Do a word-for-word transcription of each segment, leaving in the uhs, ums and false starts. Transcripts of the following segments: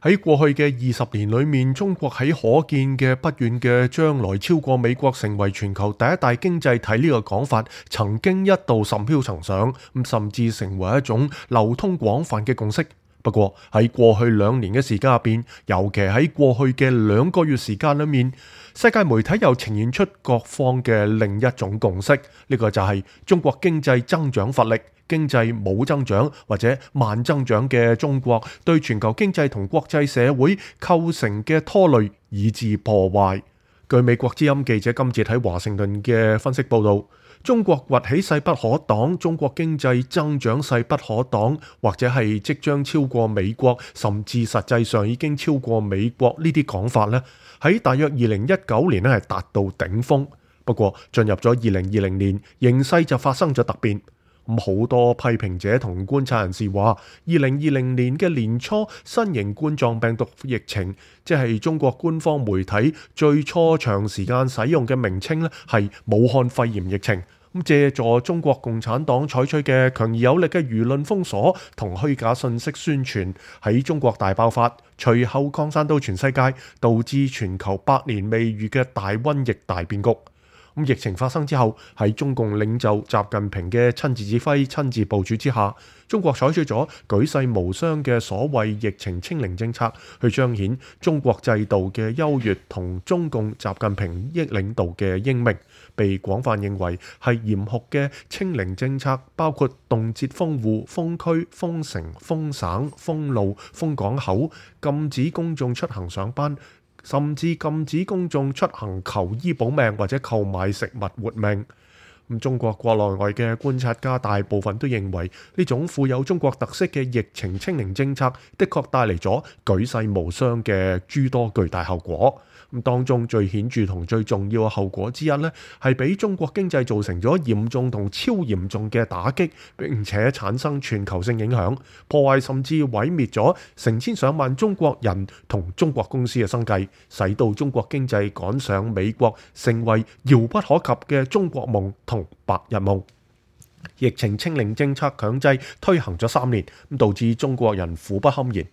喺過去嘅二十年裏面，中國喺可見嘅不遠嘅將來超過美國成為全球第一大經濟體呢個講法，曾經一度甚囂塵上，咁甚至成為一種流通廣泛嘅共識。不過喺過去兩年嘅時間入邊，尤其喺過去嘅兩個月時間裏面，世界媒體又呈現出各方嘅另一種共識，呢個就係中國經濟增長乏力。經濟冇增長或者慢增長嘅中國，對全球經濟同國際社會構成嘅拖累以致破壞。據美國之音記者金哲喺華盛頓嘅分析報導，中國崛起勢不可擋，中國經濟增長勢不可擋，或者係即將超過美國，甚至實際上已經超過美國呢啲講法呢，喺大約二零一九年咧係達到頂峰。不過進入咗二零二零年，形勢就發生咗突變。咁好多批評者同觀察人士話，二零二零年嘅年初，新型冠狀病毒疫情，即係中國官方媒體最初長時間使用嘅名稱咧，係武漢肺炎疫情。咁借助中國共產黨採取嘅強而有力嘅輿論封鎖同虛假信息宣傳，喺中國大爆發，隨後擴散到全世界，導致全球百年未遇嘅大瘟疫大變局。咁疫情發生之後，喺中共領袖習近平嘅親自指揮、親自部署之下，中國採取咗舉世無雙嘅所謂疫情清零政策，去彰顯中國制度嘅優越同中共習近平益領導嘅英明，被廣泛認為係嚴酷嘅清零政策，包括凍結封戶、封區、封城、封省、封路、封港口、禁止公眾出行上班，甚至禁止公眾出行求醫保命或者購買食物活命。咁中國國內外嘅觀察家大部分都認為，呢種富有中國特色嘅疫情清零政策，的確帶嚟咗舉世無雙嘅諸多巨大後果。咁當中最顯著同最重要嘅後果之一呢，係俾中國經濟造成咗嚴重同超嚴重嘅打擊，並且產生全球性影響，破壞甚至毀滅咗成千上萬中國人同中國公司嘅生計，使到中國經濟趕上美國，成為遙不可及嘅中國夢同白日夢。疫情清零政策強制推行咗三年，咁導致中國人苦不堪言。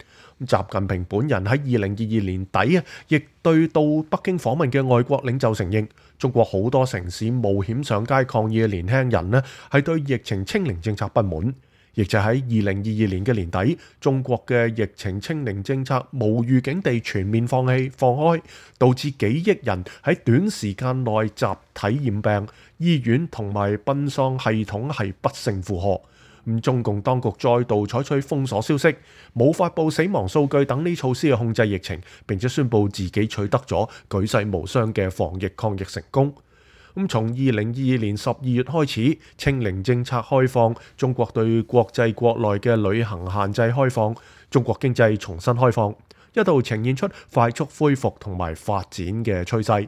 習近平本人喺二零二二年底啊，亦對到北京訪問嘅外國領袖承認，中國好多城市冒險上街抗議嘅年輕人呢，係對疫情清零政策不滿。亦就喺二零二二年嘅年底，中國嘅疫情清零政策無預警地全面放棄放開，導致幾億人喺短時間內集體染病，醫院同埋殯喪系統係不勝負荷。咁中共當局再度採取封鎖消息、冇發布死亡數據等呢措施去控制疫情，並且宣布自己取得咗舉世無雙嘅防疫抗疫成功。咁從二零二二年十二月開始，清零政策開放，中國對國際國內嘅旅行限制開放，中國經濟重新開放，一度呈現出快速恢復同埋發展嘅趨勢。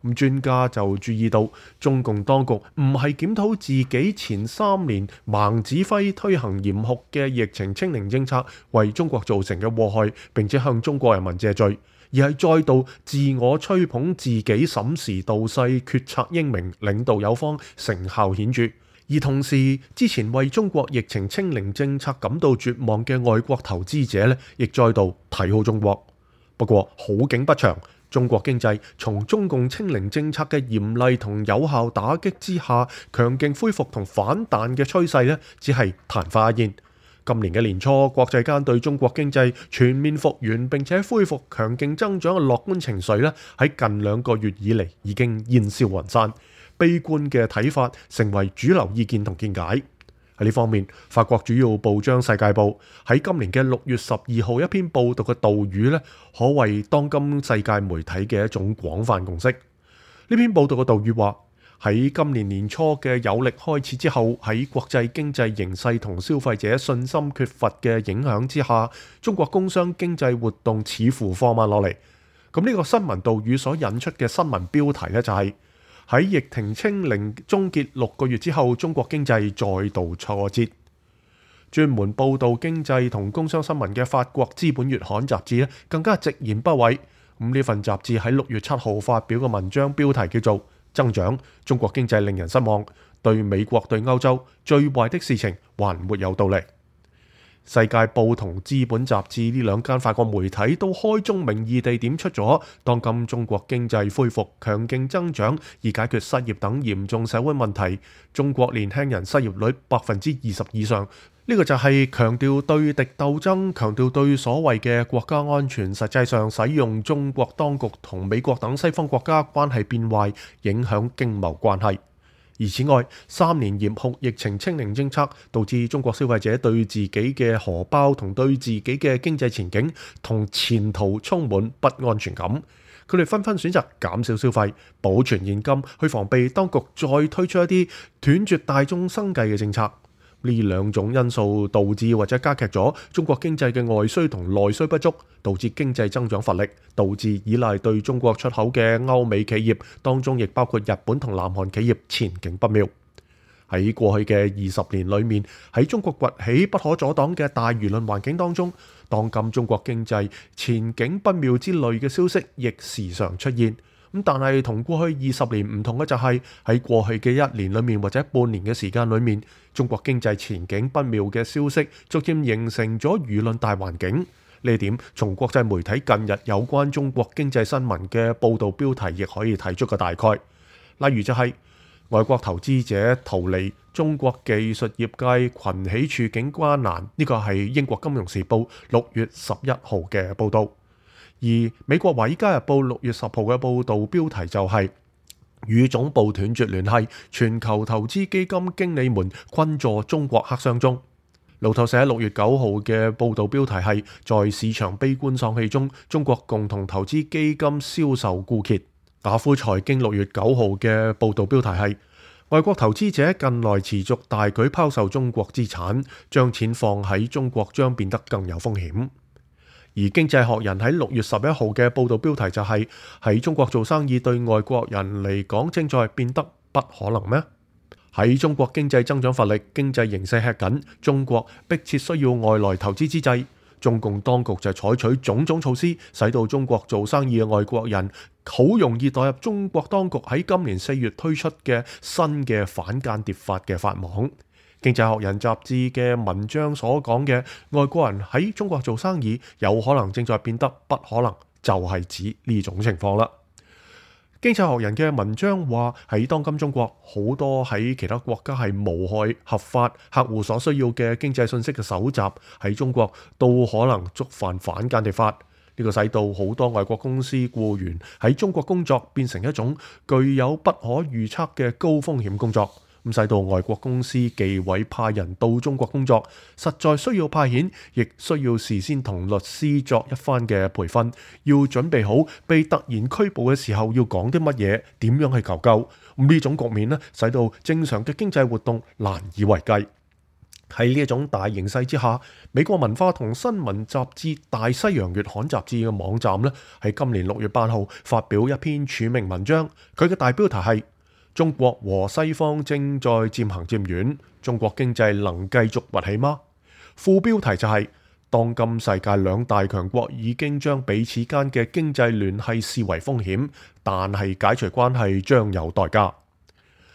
咁專家就注意到，中共當局唔係檢討自己前三年盲指揮推行嚴酷嘅疫情清零政策為中國造成嘅禍害，並且向中國人民謝罪，而係再度自我吹捧自己審時度勢、決策英明、領導有方、成效顯著。而同時，之前為中國疫情清零政策感到絕望嘅外國投資者咧，亦再度睇好中國。不過好景不長，中國經濟從中共清零政策嘅嚴厲同有效打擊之下，強勁恢復同反彈嘅趨勢咧，只係曇花一現。今年嘅年初，國際間對中國經濟全面復原並且恢復強勁增長嘅樂觀情緒咧，喺近兩個月以嚟已經煙消雲散，悲觀嘅睇法成為主流意見同見解。喺呢方面，法國主要報章《世界報》喺今年嘅六月十二號一篇報道嘅導語咧，可謂當今世界媒體嘅一種廣泛共識。呢篇報道嘅導語話：喺今年年初嘅有力開始之後，喺國際經濟形勢同消費者信心缺乏嘅影響之下，中國工商經濟活動似乎放慢落嚟。咁呢個新聞導語所引出嘅新聞標題呢，就係、是。喺疫情清零終結六個月之後，中國經濟再度挫折。專門報導經濟同工商新聞嘅法國資本月刊雜誌咧，更加直言不諱。咁呢份雜誌喺六月七號發表嘅文章標題叫做《增長：中國經濟令人失望，對美國對歐洲最壞的事情還沒有到嚟》。世界報同資本雜誌呢兩間法國媒體都開宗明義地點出咗，當今中國經濟恢復強勁增長，以解決失業等嚴重社會問題。中國年輕人失業率百分之二十以上，呢個就係強調對敵鬥爭，強調對所謂嘅國家安全，實際上使用中國當局同美國等西方國家關係變壞，影響經貿關係。而此外，三年嚴酷疫情清零政策導致中國消費者對自己嘅荷包同對自己嘅經濟前景同前途充滿不安全感。佢哋紛紛選擇減少消費，保存現金，去防備當局再推出一啲斷絕大眾生計嘅政策。呢兩種因素導致或者加劇咗中國經濟嘅外需同內需不足，導致經濟增長乏力，導致依賴對中國出口嘅歐美企業，當中亦包括日本同南韓企業前景不妙。喺過去嘅二十年裏面，喺中國崛起不可阻擋嘅大輿論環境當中，當今中國經濟前景不妙之類嘅消息亦時常出現。咁但係同過去二十年唔同嘅就係喺過去嘅一年裏面或者半年嘅時間裏面，中國經濟前景不妙嘅消息逐漸形成咗輿論大環境。呢點從國際媒體近日有關中國經濟新聞嘅報導標題亦可以睇出個大概。例如就係、是、外國投資者逃離中國技術業界群起處境艱難，呢個係英國金融時報六月十一號嘅報導。而美國華爾街日報六月十號嘅報導標題就係、是、與總部斷絕聯繫，全球投資基金經理們困坐中國黑箱中。路透社六月九號嘅報導標題係在市場悲觀喪氣中，中國共同投資基金銷售枯竭。雅虎財經六月九號嘅報導標題係外國投資者近來持續大舉拋售中國資產，將錢放喺中國將變得更有風險。而經濟學人喺六月十一號嘅報導標題就係、是、喺中國做生意對外國人嚟講正在變得不可能咩？喺中國經濟增長乏力、經濟形勢吃緊、中國迫切需要外來投資之際，中共當局就採取種種措施，使到中國做生意嘅外國人好容易墮入中國當局喺今年四月推出嘅新嘅反間諜法嘅法網。經濟學人雜誌嘅文章所講嘅外國人喺中國做生意有可能正在變得不可能，就係指呢種情況啦。經濟學人嘅文章話喺當今中國，好多喺其他國家係無害、合法、客戶所需要嘅經濟信息嘅搜集喺中國都可能觸犯反間諜法。呢個使到好多外國公司僱員喺中國工作變成一種具有不可預測嘅高風險工作。咁使到外國公司忌諱派人到中國工作，實在需要派遣，亦需要事先同律師作一番嘅培訓，要準備好被突然拘捕嘅時候要講啲乜嘢，點樣去求救。咁呢種局面呢，使到正常嘅經濟活動難以為繼。喺呢一種大形勢之下，美國文化同新聞雜誌《大西洋月刊雜誌》嘅網站呢，喺今年六月八號發表一篇署名文章，佢嘅大標題係中國和西方正在漸行漸遠，中國經濟能繼續崛起嗎？副標題就係、是、當今世界兩大強國已經將彼此間嘅經濟聯繫視為風險，但係解除關係將有代價。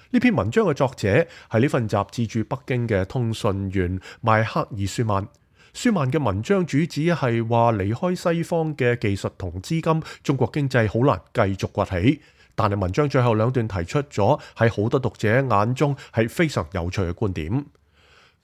呢篇文章嘅作者係呢份雜誌駐北京嘅通訊員邁克爾舒曼。舒曼嘅文章主旨係話離開西方嘅技術同資金，中國經濟好難繼續崛起。但係文章最後兩段提出咗喺好多讀者眼中係非常有趣嘅觀點。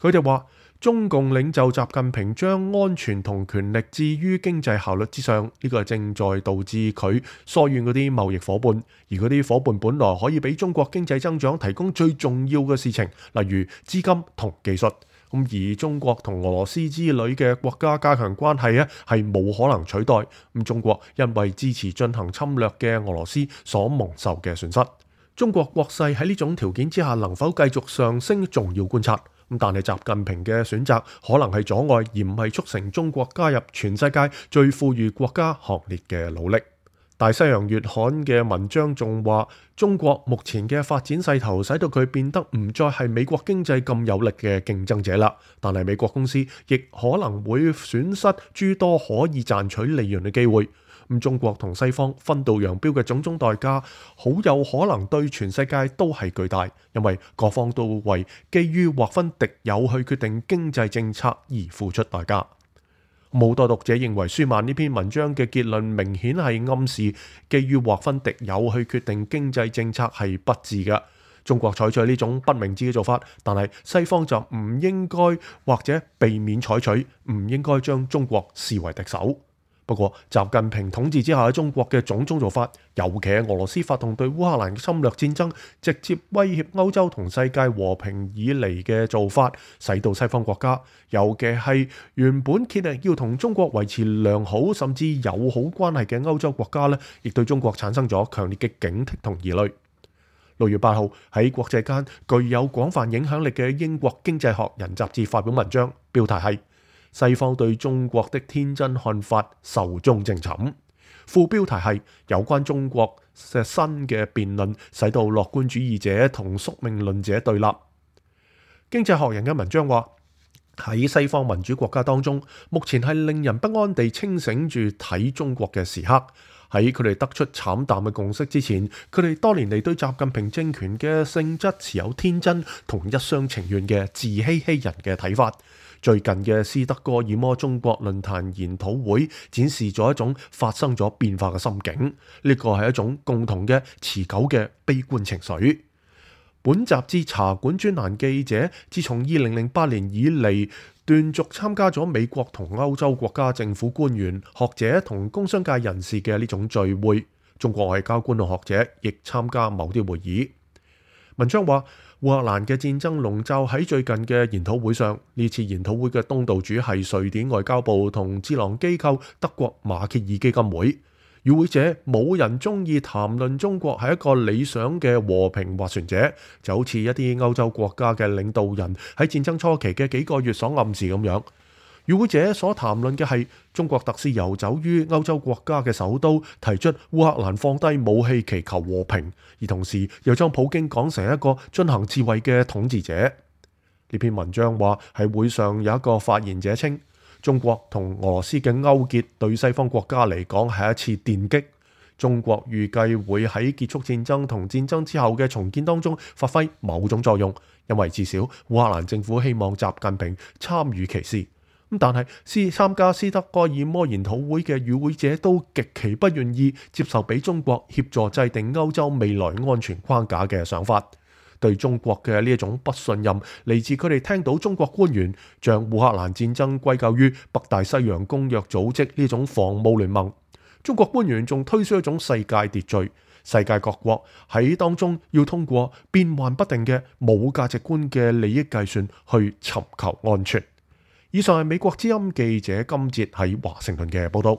佢哋話中共領袖習近平將安全同權力置於經濟效率之上，呢個正在導致佢疏遠嗰啲貿易夥伴，而嗰啲夥伴本來可以俾中國經濟增長提供最重要嘅事情，例如資金同技術。咁而中國同俄羅斯之類嘅國家加強關係咧，係冇可能取代。咁中國因為支持進行侵略嘅俄羅斯所蒙受嘅損失，中國國勢喺呢種條件之下能否繼續上升，仲要觀察。咁但係習近平嘅選擇可能係阻礙，而唔係促成中國加入全世界最富裕國家行列嘅努力。大西洋月刊嘅文章仲話，中國目前嘅發展勢頭使到佢變得唔再係美國經濟咁有力嘅競爭者啦。但係美國公司亦可能會損失諸多可以賺取利潤嘅機會。咁中國同西方分道揚鑣嘅種種代價，好有可能對全世界都係巨大，因為各方都為基於劃分敵友去決定經濟政策而付出代價。好多讀者認為舒曼呢篇文章嘅結論明顯係暗示，基於劃分敵友去決定經濟政策係不智嘅。中國採取呢種不明智嘅做法，但係西方就唔應該或者避免採取，唔應該將中國視為敵手。不過，習近平統治之下喺中國嘅種種做法，尤其係俄羅斯發動對烏克蘭嘅侵略戰爭，直接威脅歐洲同世界和平以嚟嘅做法，使到西方國家，尤其係原本竭力要同中國維持良好甚至友好關係嘅歐洲國家呢，亦對中國產生咗強烈嘅警惕同疑慮。六月八號喺國際間具有廣泛影響力嘅英國經濟學人雜誌發表文章，標題係西方對中國的天真看法壽終正寢，副標題係有關中國嘅新嘅辯論使到樂觀主義者同宿命論者對立。經濟學人嘅文章話，喺西方民主國家當中，目前係令人不安地清醒住睇中國嘅時刻。喺佢哋得出慘淡嘅共識之前，佢哋多年嚟對習近平政權嘅性質持有天真同一廂情願嘅自欺欺人嘅睇法。最近嘅斯德哥爾摩中國論壇研討會展示咗一種發生咗變化嘅心境，呢個係一種共同嘅持久嘅悲觀情緒。本雜誌茶館專欄記者自從二零零八年以嚟，斷續參加咗美國同歐洲國家政府官員、學者同工商界人士嘅呢種聚會，中國外交官同學者亦參加某啲會議。文章話，烏克蘭嘅戰爭籠罩喺最近嘅研討會上，呢次研討會嘅東道主係瑞典外交部同智囊機構德國馬歇爾基金會。與會者冇人中意談論中國係一個理想嘅和平斡旋者，就好似一啲歐洲國家嘅領導人喺戰爭初期嘅幾個月所暗示咁樣。與會者所談論嘅係中國特使遊走於歐洲國家嘅首都，提出烏克蘭放低武器祈求和平，而同時又將普京講成一個進行自衛嘅統治者。呢篇文章話，喺會上有一個發言者稱，中國同俄羅斯嘅勾結對西方國家嚟講係一次電擊。中國預計會喺結束戰爭同戰爭之後嘅重建當中發揮某種作用，因為至少烏克蘭政府希望習近平參與其事。咁但係斯參加斯德哥爾摩研討會嘅與會者都極其不願意接受俾中國協助制定歐洲未來安全框架嘅想法。對中國嘅呢一種不信任嚟自佢哋聽到中國官員將烏克蘭戰爭歸咎於北大西洋公約組織呢種防務聯盟。中國官員仲推出一種世界秩序，世界各國喺當中要通過變幻不定嘅冇價值觀嘅利益計算去尋求安全。以上係美國之音記者金哲喺華盛頓嘅報道。